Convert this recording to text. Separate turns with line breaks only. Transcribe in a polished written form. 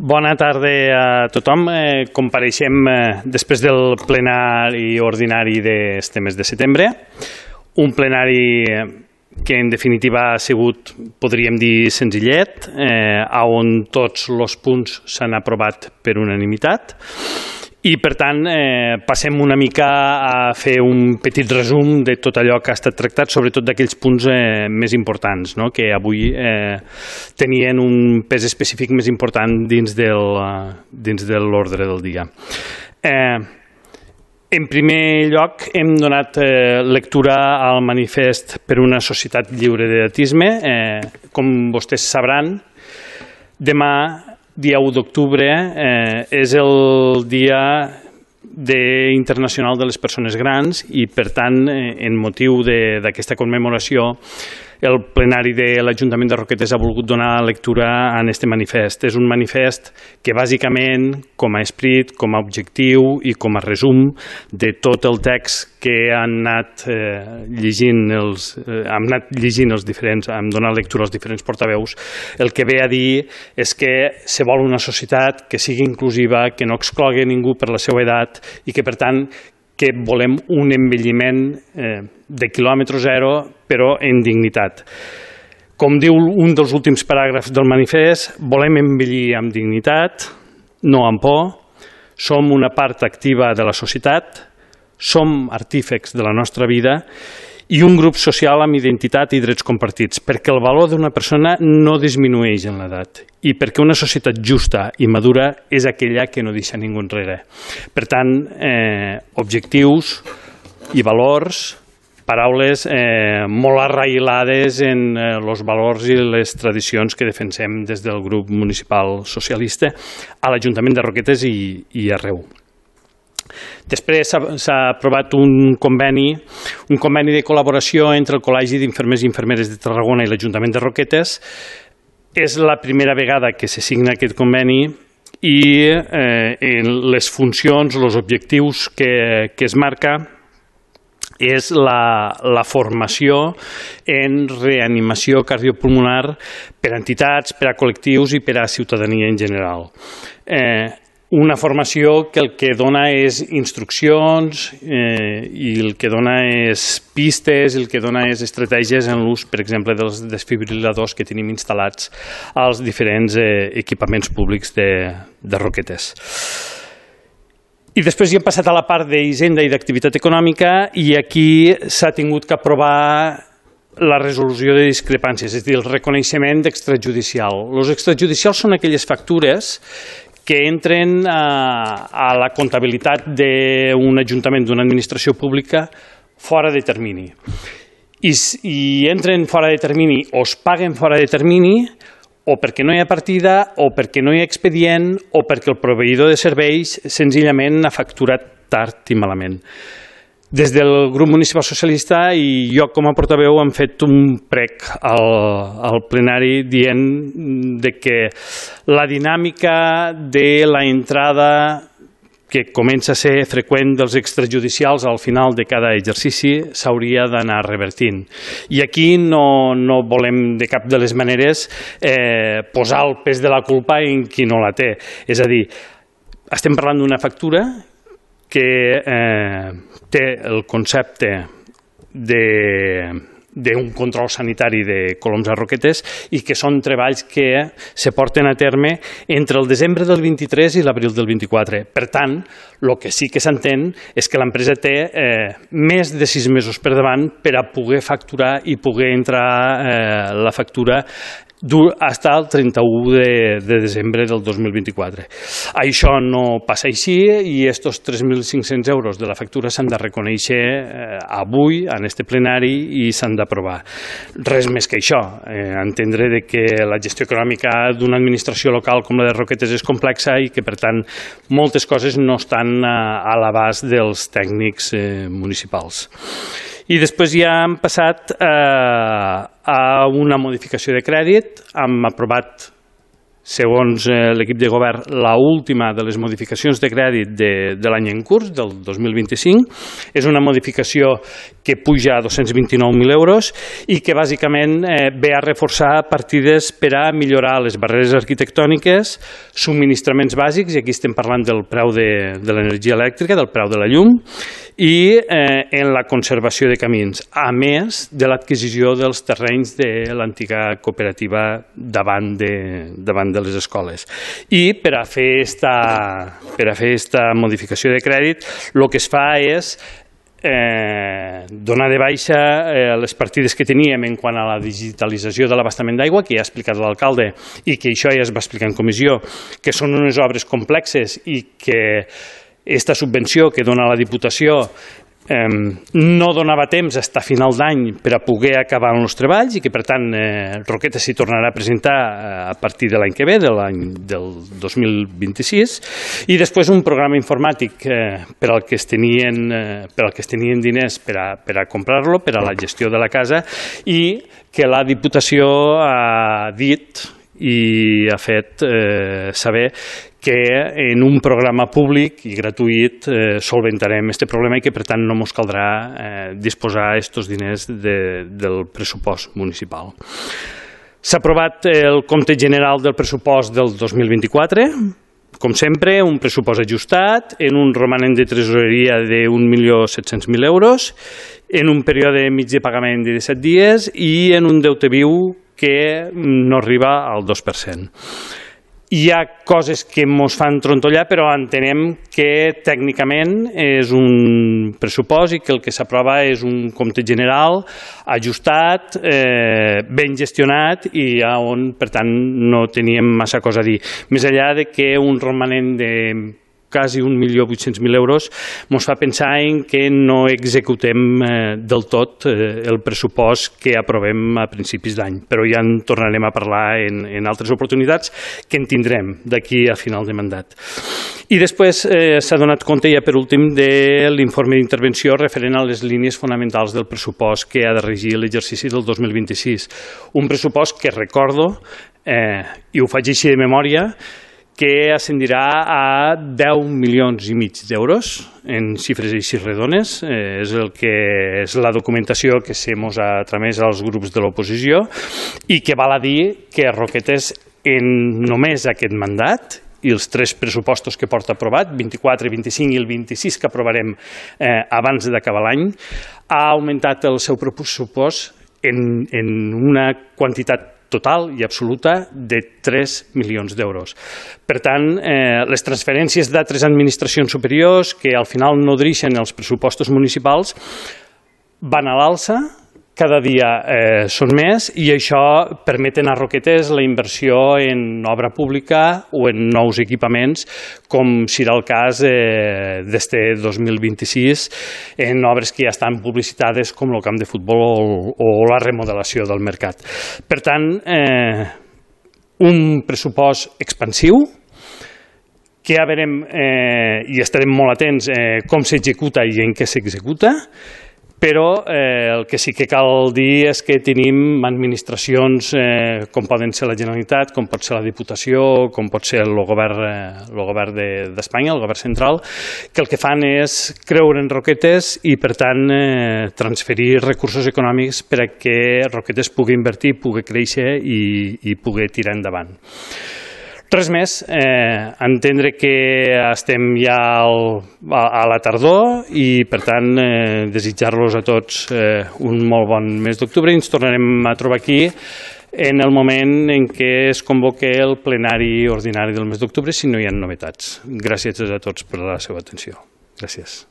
Bona tarda a tothom. Compareixem després del plenari ordinari d'aquest mes de setembre. Un plenari que en definitiva ha sigut, podríem dir, senzillet, on tots els punts s'han aprovat per unanimitat. I, per tant, passem una mica a fer un petit resum de tot allò que ha estat tractat, sobretot d'aquells punts més importants, que avui tenien un pes específic més important dins de l'ordre del dia. En primer lloc, hem donat lectura al manifest per una societat lliure d'edatisme. Com vostès sabran, demà, dia 1 d'octubre, és el Dia Internacional de les Persones Grans i, per tant, en motiu d'aquesta commemoració, el plenari de l'Ajuntament de Roquetes ha volgut donar lectura a aquest manifest. És un manifest que, bàsicament, com a esperit, com a objectiu i com a resum de tot el text que han anat llegint els diferents, han donat lectura als diferents portaveus, el que ve a dir és que se vol una societat que sigui inclusiva, que no exclogui ningú per la seva edat i que, per tant, que volem un envelliment de quilòmetre zero, però en dignitat. Com diu un dels últims paràgrafs del manifest, volem envellir amb dignitat, no amb por, som una part activa de la societat, som artífex de la nostra vida i un grup social amb identitat i drets compartits, perquè el valor d'una persona no disminueix en l'edat i perquè una societat justa i madura és aquella que no deixa ningú enrere. Per tant, objectius i valors, paraules molt arrailades en els valors i les tradicions que defensem des del grup municipal socialista a l'Ajuntament de Roquetes i arreu. Després s'ha aprovat un conveni de col·laboració entre el Col·legi d'Infermers i Infermeres de Tarragona i l'Ajuntament de Roquetes. És la primera vegada que se signa aquest conveni i les funcions, els objectius que es marca és la formació en reanimació cardiopulmonar per a entitats, per a col·lectius i per a ciutadania en general. Una formació que el que dona és instruccions i el que dona és pistes, el que dona és estratègies en l'ús, per exemple, dels desfibril·ladors que tenim instal·lats als diferents equipaments públics de Roquetes. I després ja hem passat a la part d'Hisenda i d'activitat econòmica i aquí s'ha tingut que aprovar la resolució de discrepàncies, és a dir, el reconeixement d'extrajudicial. Els extrajudicials són aquelles factures que entren a la comptabilitat d'un ajuntament, d'una administració pública, fora de termini. I entren fora de termini o es paguen fora de termini o perquè no hi ha partida o perquè no hi ha expedient o perquè el proveïdor de serveis senzillament ha facturat tard i malament. Des del grup municipal socialista i jo com a portaveu hem fet un prec al plenari dient que la dinàmica de la entrada que comença a ser freqüent dels extrajudicials al final de cada exercici s'hauria d'anar revertint. I aquí no volem de cap de les maneres posar el pes de la culpa en qui no la té. És a dir, estem parlant d'una factura que té el concepte d'un control sanitari de Coloms a Roquetes i que són treballs que se porten a terme entre el desembre del 23 i l'abril del 24. Per tant, el que sí que s'entén és que l'empresa té més de 6 mesos per davant per a poder facturar i poder entrar la factura fins al 31 de desembre del 2024. Això no passa així i aquests 3.500 euros de la factura s'han de reconèixer avui en aquest plenari i s'han d'aprovar. Res més que això, entendre que la gestió econòmica d'una administració local com la de Roquetes és complexa i que, per tant, moltes coses no estan a l'abast dels tècnics municipals. I després ja hem passat a una modificació de crèdit, hem aprovat segons l'equip de govern, l'última de les modificacions de crèdit de l'any en curs, del 2025. És una modificació que puja a 229.000 euros i que bàsicament ve a reforçar partides per a millorar les barreres arquitectòniques, subministraments bàsics, i aquí estem parlant del preu de l'energia elèctrica, del preu de la llum, i en la conservació de camins, a més de l'adquisició dels terrenys de l'antiga cooperativa davant de les escoles. I per a fer esta modificació de crèdit, el que es fa és donar de baixa les partides que teníem en quant a la digitalització de l'abastament d'aigua, que ja ha explicat l'alcalde i que això ja es va explicar en comissió, que són unes obres complexes i que aquesta subvenció que dona la Diputació no donava temps fins a final d'any per a poder acabar els treballs i que, per tant, Roquetes s'hi tornarà a presentar a partir de l'any que ve, del 2026, i després un programa informàtic per al que es tenien diners per a comprar-lo, per a la gestió de la casa, i que la Diputació ha dit i ha fet saber que en un programa públic i gratuït solventarem aquest problema i que, per tant, no ens caldrà disposar aquests diners del pressupost municipal. S'ha aprovat el compte general del pressupost del 2024, com sempre, un pressupost ajustat, en un romanent de tresoreria de 1.700.000 euros, en un període mig de pagament de 17 dies i en un deute viu que no arriba al 2%. Hi ha coses que ens fan trontollar, però entenem que tècnicament és un pressupost i que el que s'aprova és un compte general ajustat, ben gestionat i on, per tant, no teníem massa cosa a dir. Més enllà de que un romanent de quasi 1.800.000 euros ens fa pensar en que no executem del tot el pressupost que aprovem a principis d'any, però ja en tornarem a parlar en altres oportunitats que en tindrem d'aquí a final de mandat. I després s'ha donat compte, ja per últim, de l'informe d'intervenció referent a les línies fonamentals del pressupost que ha de regir l'exercici del 2026. Un pressupost que recordo, i ho faig així de memòria, que ascendirà a 10,5 milions d'euros en xifres així redones. És la documentació que se mos ha tramès als grups de l'oposició i que val a dir que Roquetes, en només aquest mandat i els 3 pressupostos que porta aprovat, 24, 25 i el 26 que aprovarem abans d'acabar l'any, ha augmentat el seu pressupost en una quantitat total i absoluta de 3 milions d'euros. Per tant, les transferències d'altres administracions superiors que al final nodreixen els pressupostos municipals van a l'alça, cada dia són més i això permeten a Roquetes la inversió en obra pública o en nous equipaments, com serà el cas d'este 2026, en obres que ja estan publicitades com el camp de futbol o la remodelació del mercat. Per tant, un pressupost expansiu, que ja veurem i estarem molt atents com s'executa i en què s'executa, però el que sí que cal dir és que tenim administracions com poden ser la Generalitat, com pot ser la Diputació, com pot ser el govern d'Espanya, el govern central, que el que fan és creure en Roquetes i, per tant, transferir recursos econòmics per a que Roquetes pugui invertir, pugui créixer i pugui tirar endavant. Res més, entendre que estem ja a la tardor i, per tant, desitjar-los a tots un molt bon mes d'octubre i ens tornarem a trobar aquí en el moment en què es convoqui el plenari ordinari del mes d'octubre si no hi ha novetats. Gràcies a tots per la seva atenció. Gràcies.